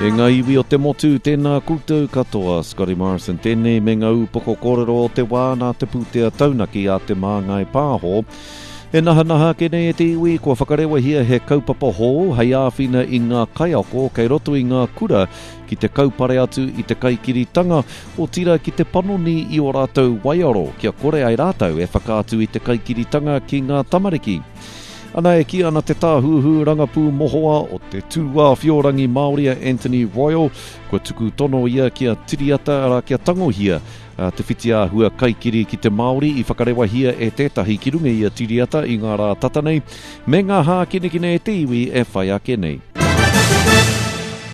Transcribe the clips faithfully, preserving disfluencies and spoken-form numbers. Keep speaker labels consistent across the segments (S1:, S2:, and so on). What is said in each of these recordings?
S1: E ngā iwi o te motu, tēnā koutou katoa, Scotty Morrison tēnei me ngā upoko kōrero o te wā nā te pūtea taunaki a Te Māngai Pāho. E nahanaha ake nei e te iwi, kua whakarewahia he kaupapa hou hei āwhina i ngā kaiako kei roto i ngā kura ki te kaupare atu i te kaikiritanga, otirā ki te panoni i ō rātou waiaro kia kore ai rātou e whakaatu i te kaikiritanga ki ngā tamariki. Ana e kī ana te tāhuhu rangapū mohoa o te tūāwhiorangi Māori a Anthony Royal, kua tuku tono ia kia tiriata, arā kia tangohia te whitiāhua kaikiri ki te Māori i whakarewahia e tētahi ki runga i a Tiriata i ngā rā tata nei, me ngā hākinakina e te iwi e whai ake nei.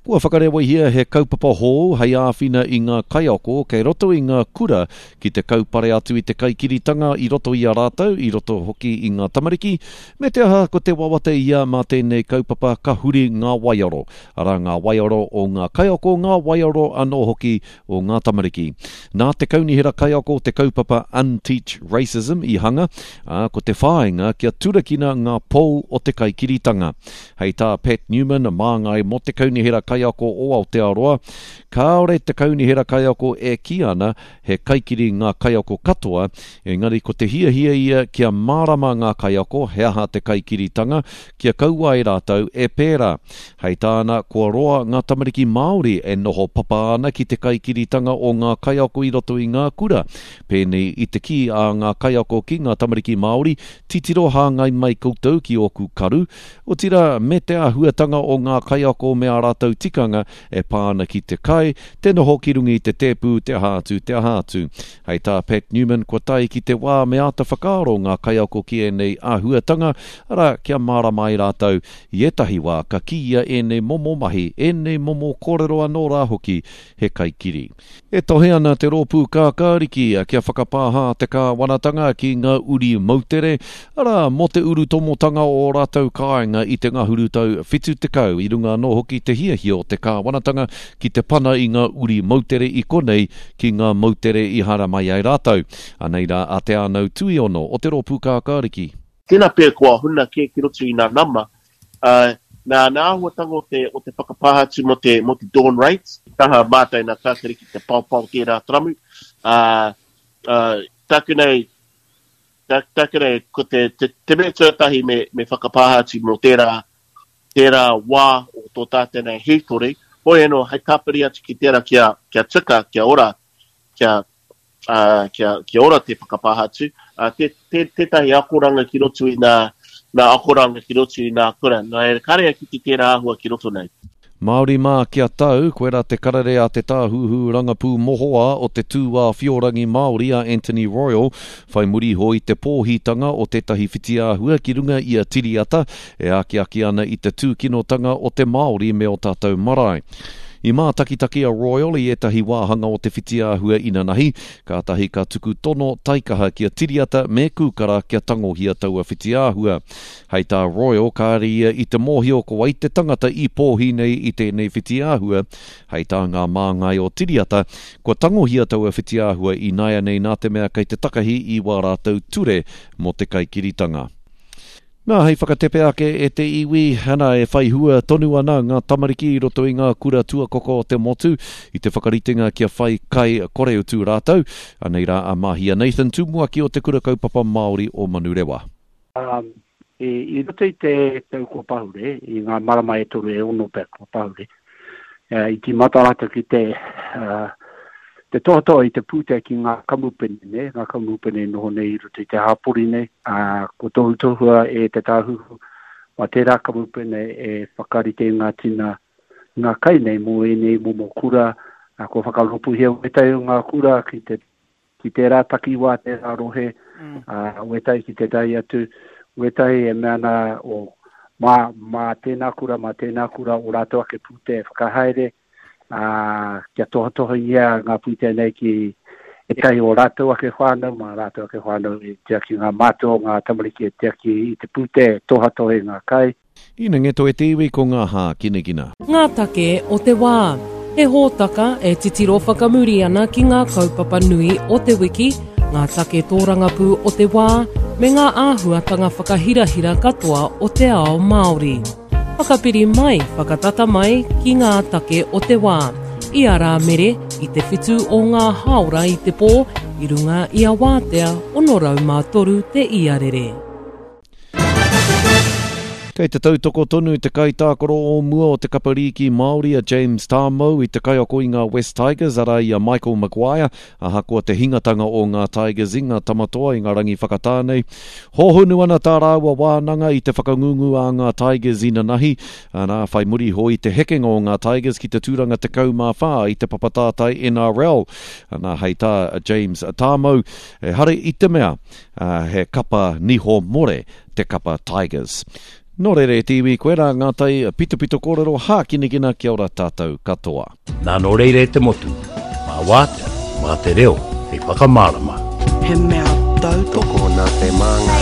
S1: Kua whakarewahia he kaupapa hou hei āwhina i ngā kaiako kei roto i ngā kura ki te kaupare atu i te kaikiritanga i roto i a rātou, i roto hoki i ngā tamariki, me te aha ko te wawata ia mā tēnei kaupapa ka huri ngā waiaro, arā ngā waiaro o ngā kaiako, ngā waiaro anō hoki o ngā tamariki. Nā te Kaunihera Kaiako te kaupapa Unteach Racism i hanga, ā, ko te whāinga kia turakina ngā pou o te kaikiritanga. Hei tā Pat Newman, māngai mō te Kaunihera Kaiako o Aotearoa, kāore te Kaunihera Kaiako e kī ana he kaikiri ngā kaiako katoa, engari ko te hiahia ia kia mārama ngā kaiako he aha te kaikiritanga, kia kaua ai rātou e pērā. Hei tāna, kua roa ngā tamariki Māori e noho papa ana ki te kaikiritanga o ngā kaiako i roto i ngā kura. Pēnei i te kī a ngā kaiako ki ngā tamariki Māori, titiro hāngai mai koutou ki ōku karu, otirā me te āhuatanga o ngā kaiako me ā rātou tikanga e pā ana ki te kai, te noho ki runga i te tēpu, te aha atu, te aha atu. Hei tā Pat Newman, kua tae ki te wā me āta whakaaro ngā kaiako ki ēnei āhuatanga, arā, kia mārama ai rātou. I ētahi wā ka kīia ēnei momo mahi, ēnei momo kōrero anō rā hoki he kaikiri. E tohe ana te rōpū kākāriki kia whakapāha te kāwanatanga ki ngā uri moutere, arā, mō te urutomotanga o ō rātou kāinga i te ngahuru tau whitu tekau, i runga anō hoki te hiahia o te kāwanatanga ki te pana i ngā uri moutere i konei ki ngā moutere i haramai ai rātou. Anei rā a Te Ānau Tuiono o te rōpū kākāriki.
S2: Tēnā pea kua huna kē ki roto i nā nama, ā, nā, nā āhuatanga o te, o te whakapāha atu mō te, mō te dawn raids. Taha mātou nā Kākāriki te paopao tērā taramu, ā, ā, tāku nei, tā, tāku nei, ko te, te, te mea tuatahi me, me whakapāha atu mō tērā, tērā wā o tō tātou nei hītori, hoi anō, hei tāpiri atu ki tērā kia, kia tika, kia ora, kia, ā, kia, kia ora te whakapāha atu, ā, tē, tē, tētahi akoranga ki roto i nā, nā akoranga ki roto i nā kura. Nā reira, kāre au ki te tērā āhua ki roto nei.
S1: Māori mā kia tau, koirā te karere a te tāhuhu rangapū mohoa o te tūāwhiorangi Māori a Anthony Royal, whai muri iho i te pōhitanga o tētahi whitiāhua ki runga i a Tiriata e akiaki ana i te tūkinotanga o te Māori me ō tātou marae. I mātakitaki a Royal i ētahi wāhanga o te whitiāhua inanahi, kātahi ka tuku tono taikaha ki a Tiriata me Kūkara kia tangohia taua whitiāhua. Hei tā Royal, kāre ia i te mōhio ko wai te tangata i pōhi nei i tēnei whitiāhua. Hei tā ngā māngai o Tiriata, kua tangohia taua whitiāhua ināianei nā te mea kei te takahi i wā rātou ture mō te kaikiritanga. Nā, hei whakatepe ake e te iwi, ana, e whai hua tonu ana ngā tamariki i roto i ngā kura tuakoko o te motu i te whakaritenga kia whai kai koreutu rātou. Anei rā a Mahia Nathan, tumuaki o Te Kura Kaupapa Māori o Manurewa.
S3: I roto i te tau kua pahure, i ngā marama e toru e ono pea kua pahure, i tīmata rātou ki te te tohatoha i te pūtea ki ngā kamupene, nē, ngā kamupene e noho nei i roto i te hāpori nei, ā, kua tohutohua e te Tāhuhu mā tērā kamupene e whakarite i ngā tina, ngā kai nei mō ēnei momo kura, ā, kua whakarōpūhia wētahi o ngā kura ki te, ki tērā takiwā, tērā rohe, ā, wētahi ki tētahi atu, wētahi e mea ana, o, mā, mā tēnā kura, mā tēnā kura ō rātou ake pūtea e whakahaere, ā, kia tohatohangia ngā pūtea nei ki ētahi o rātou ake whānau, mā rātou ake whānau e tiaki ngā mātua o ngā tamariki e tiaki i te pūtea, e tohatohe i ngā kai.
S1: Ina ngeto e te iwi ko ngā hākinakina.
S4: Ngā take o te wā. He hōtaka e titiro whakamuri ana ki ngā kaupapa nui o te wiki, ngā take tōrangapū o te wā, me ngā āhuatanga whakahirahira katoa o te ao Māori. Whakapiri mai, whakatata mai ki ngā take o te wā. I a Rāmere, i te whitu o ngā hāora i te pō, i runga i a Wātea, ono rau mā toru te iarere.
S1: Kei te tautoko tonu te kaitākaro o mua o te kapa rīki Māori a James Tamou i te kaiako i ngā West Tigers, arā i a Michael Maguire, ahakoa te hingatanga o ngā Tigers i ngā tamatoa i ngā rangi whakatā nei. Hōhonu ana tā rāua wānanga i te whakangungu a ngā Tigers inanahi, anā, whai muri iho i te hekenga o ngā Tigers ki te tūranga tekau mā whā i te papatātai N R L. Anā, hei tā James Tamou, ehara i te mea, he kapa niho more te kapa Tigers. Nō reira e te iwi, koe rā ngā tai pitopito kōrero hākinakina, kia ora tātou katoa.
S5: Nā nō reira e te motu, mā wātea, mā te reo, hei whakamārama.
S6: He mea tautoko
S7: nā te māngai.